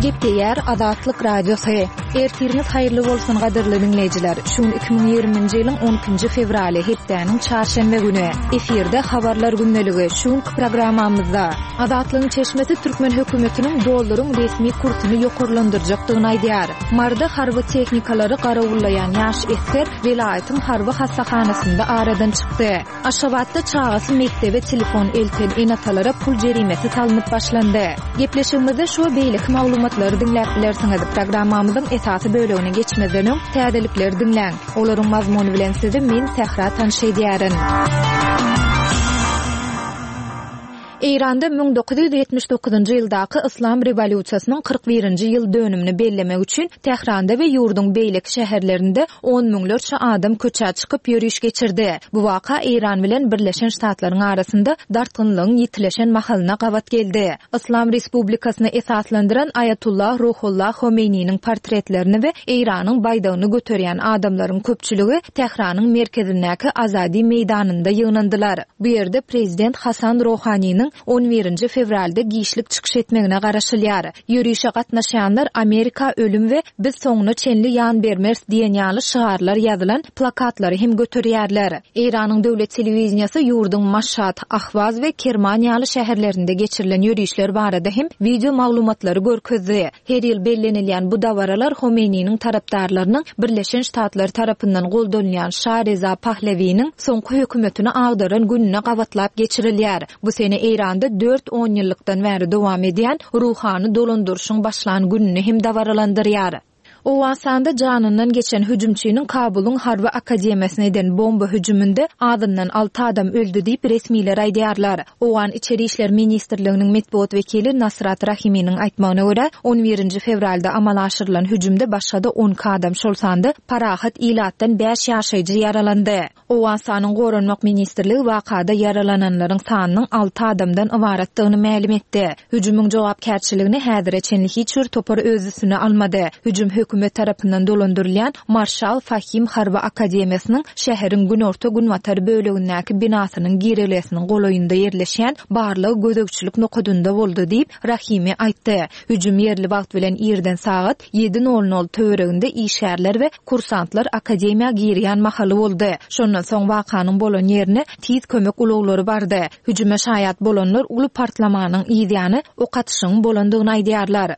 Gepleýär Azatlyk Radiosy. Ertiriňiz haýyrly bolsun gadyrly diňleýjiler. Şu gün 2020-nji ýylyň 12-nji fewraly, hepdäniň çarşenbe güni. Efirde Habarlar gündeligi. Şu günki programmamyzda Azatlygyň çeşmesi türkmen hökümetiniň dollaryň resmi kursuny ýokarlandyrjakdygyny aýdýar. Maryda harby tehnikalary garawullaýan ýaş esger welaýatyň harby hassahanasynda aradan çykdy. Aşgabatda çagasy mekdebe telefon elten ene-atalara pul jerimesi salnyp başlandy. Gepleşigimizde şu we beýleki maglumatlary diňläp bilersiňiz. Programmamyzyň esasy bölegine geçmezden öň, täzelikleri diňläň. Olaryň mazmuny bilen sizi men, Sähra tanyş edýärin. Eýranda 1979-njy ýyldaky Yslam rewolýusiýasynyň 41-nji ýyl dönümini bellemek üçin Tähranda we ýurduň beýleki şäherlerinde on müňlerçe adam köçä çykyp ýöriş geçirdi. Bu waka Eýran bilen Birleşen Ştatlaryň arasynda dartgynlygyň ýitileşen mahalyna gabat geldi. Yslam Respublikasyny esaslandyran Aýatullah Ruhullah Homeýniniň portretlerini we Eýranyň baýdagyny göterýän adamlaryň köpçüligi Tähranyň merkezindäki Azadi meýdanynda ýygnandylar. Bu ýerde prezident Hasan Rohaniniň on birinji fewralda giçlik çykyş etmegine garaşylýar. Ýörişe gatnaşýanlar Amerika ölüm we Biz soňuna çenli ýan bermeris diýen ýaly şygarlar ýazylan plakatlary hem göterýärler. Eýranyň döwlet telewideniýesi ýurduň Maşat, Ahwaz we Kerman ýaly şäherlerinde geçirilen ýörişler barada hem wideo maglumatlary görkezdi. Her ýyl bellenilýän bu dabaralar Homeýniniň tarapdarlarynyň Birleşen Ştatlar tarapyndan goldanylýan şa Reza Pahlewiniň soňky hökümetini agdaran gününe gabatlap geçirilýär. Bu sene Eýranda dört onýyllykdan bäri dowam edýän ruhany dolandyryşyň başlan gününi hem dabaralandyrýar. Owganystanda janyndan geçen hüjümçiniň Kabulyň harby akademiýasyna eden bomba hüjüminde azyndan alty adam öldi diýip, resmiler aýdýarlar. Owgan Içeri işler ministrliginiň metbugat wekili Nasrat Rahiminiň aýtmagyna görä, on birinji fewralda amala aşyrylan hüjümde başga-da 12 adam, şol sanda parahat ilatdan bäş ýaşaýjy ýaralandy. Owganystanyň Goranmak ministrligi wakada ýaralananlaryň sanynyň alty adamdan ybaratdygyny mälim etdi. Hüjümiň jogapkärçiligini häzire çenli hiç bir topar öz üstüne almady. Hüjüm hökümet tarapyndan dolandyrylýan Marşal Fahim harby akademiýasynyň şäheriň günorta-günbatar bölegindäki binasynyň girelgesiniň golaýynda ýerleşýän barlag-gözegçilik nokadynda boldy diýip, Rahimi aýtdy. Hüjüm ýerli wagt bilen irden sagat ýedi nol nol töwereginde işgärler we kursantlar akademiýa girýän mahaly boldy. Şondan soň wakanyň bolan ýerine tiz kömek ulaglary bardy. Hüjüme şaýat bolanlar uly partlamanyň yzýany ok atyşygyň bolandygyny aýdýarlar.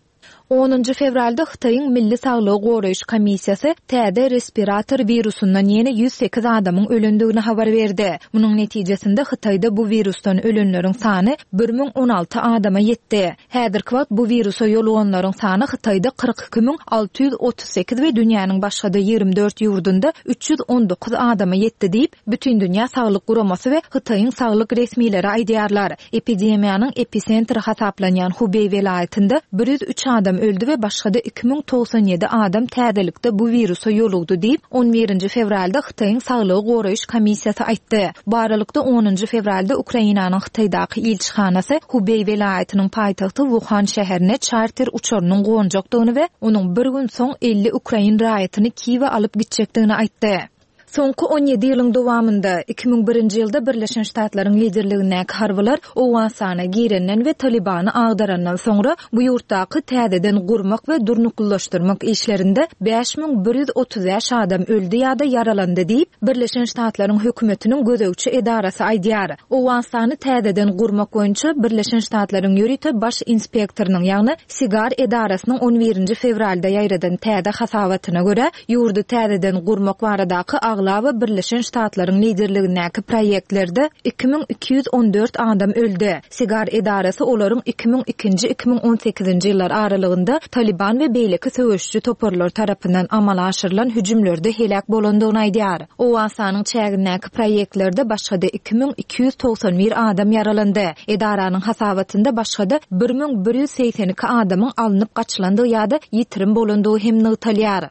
Onunjy fewralda Hytaýyň Milli saglygy goraýyş komissiýasy täze respirator wirusyndan ýene 108 adamyň ölendigini habar berdi. Munuň netijesinde Hytaýda bu wirusdan ölenleriň sany 1016 adama ýetdi. Häzirki wagt bu wirusa ýoluganlaryň sany Hytaýda 42 638 we dünýäniň başga-da 24 ýurdunda 319 adama ýetdi diýip, Bütindünýä saglyk guramasy we Hytaýyň saglyk resmileri aýdýarlar. Epidemiýanyň episentri hasaplanýan Hubeý welaýatynda 103 adam öldi we başga-da 2097 adam täzelikde bu wirusa ýolugdy diýip, on birinji fewralda Hytaýyň Saglygy goraýyş komissiýasy aýtdy. Bu aralykda, onunjy fewralda Ukrainanyň Hytaýdaky ilçihanasy Hubeý welaýatynyň paýtagty Wuhan şäherine çarter uçarynyň gonjakdygyny we onuň bir gün soň 50 ukrain raýatyny Kiýewe alyp gitjekdigini aýtdy. Soňky 17 ýylyň dowamynda, 2001-nji ýylda Birleşen Ştatlaryň liderligindäki harbylar Owganystana girenden we Talybany agdarandan soňra, bu ýurtdaky täzeden gurmak we durnuklylaşdyrmak işlerinde 5135 adam öldi ýa-da ýaralandy diýip, Birleşen Ştatlaryň hökümetiniň gözegçi edarasy aýdýar. Owganystany täzeden gurmak boýunça Birleşen Ştatlaryň ýörite baş inspektorynyň, ýagny SIGAR edarasynyň on birinji fewralda ýaýradan täze hasabatyna görä, ýurdy täzeden gurmak baradaky aglaba Birleşen Ştatlaryň liderligindäki proýektlerde 2214 adam öldi. SIGAR edarasy olaryň 2002-nji, 2018-nji ýyllar aralygynda Talyban we beýleki söweşiji toparlar tarapyndan amala aşyrylan hüjümlerde heläk bolandygyny aýdýar. Owganystanyň çägindäki proýektlerde başga-da 2291 adam ýaralandy. Edaranyň hasabatynda başga-da 1182 adamyň alnyp gaçylandygy ýa-da ýitirim bolandygy hem nygtalýar.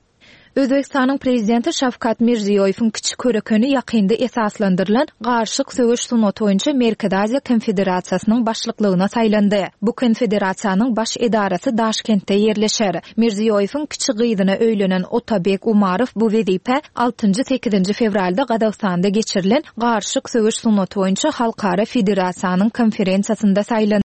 Özbegistanyň Prezidenti Şawkat Mirziýoýewiň kiçi körekeni ýakynda esaslandyrylan Garyşyk söweş sungaty boýunça Merkezi Aziýa konfederasiýasynyň başlyklygyna saýlandy. Bu konfederasiýanyň baş edarasy Daşkentde ýerleşer. Mirziýoýewiň kiçi gyzyna öýlenen Otabek Umarow bu wezipä altynjy-sekizinji fewralda Gazagystanda geçirilen Garyşyk söweş sungaty boýunça halkara federasiýanyň konferensiýasynda saýlandy.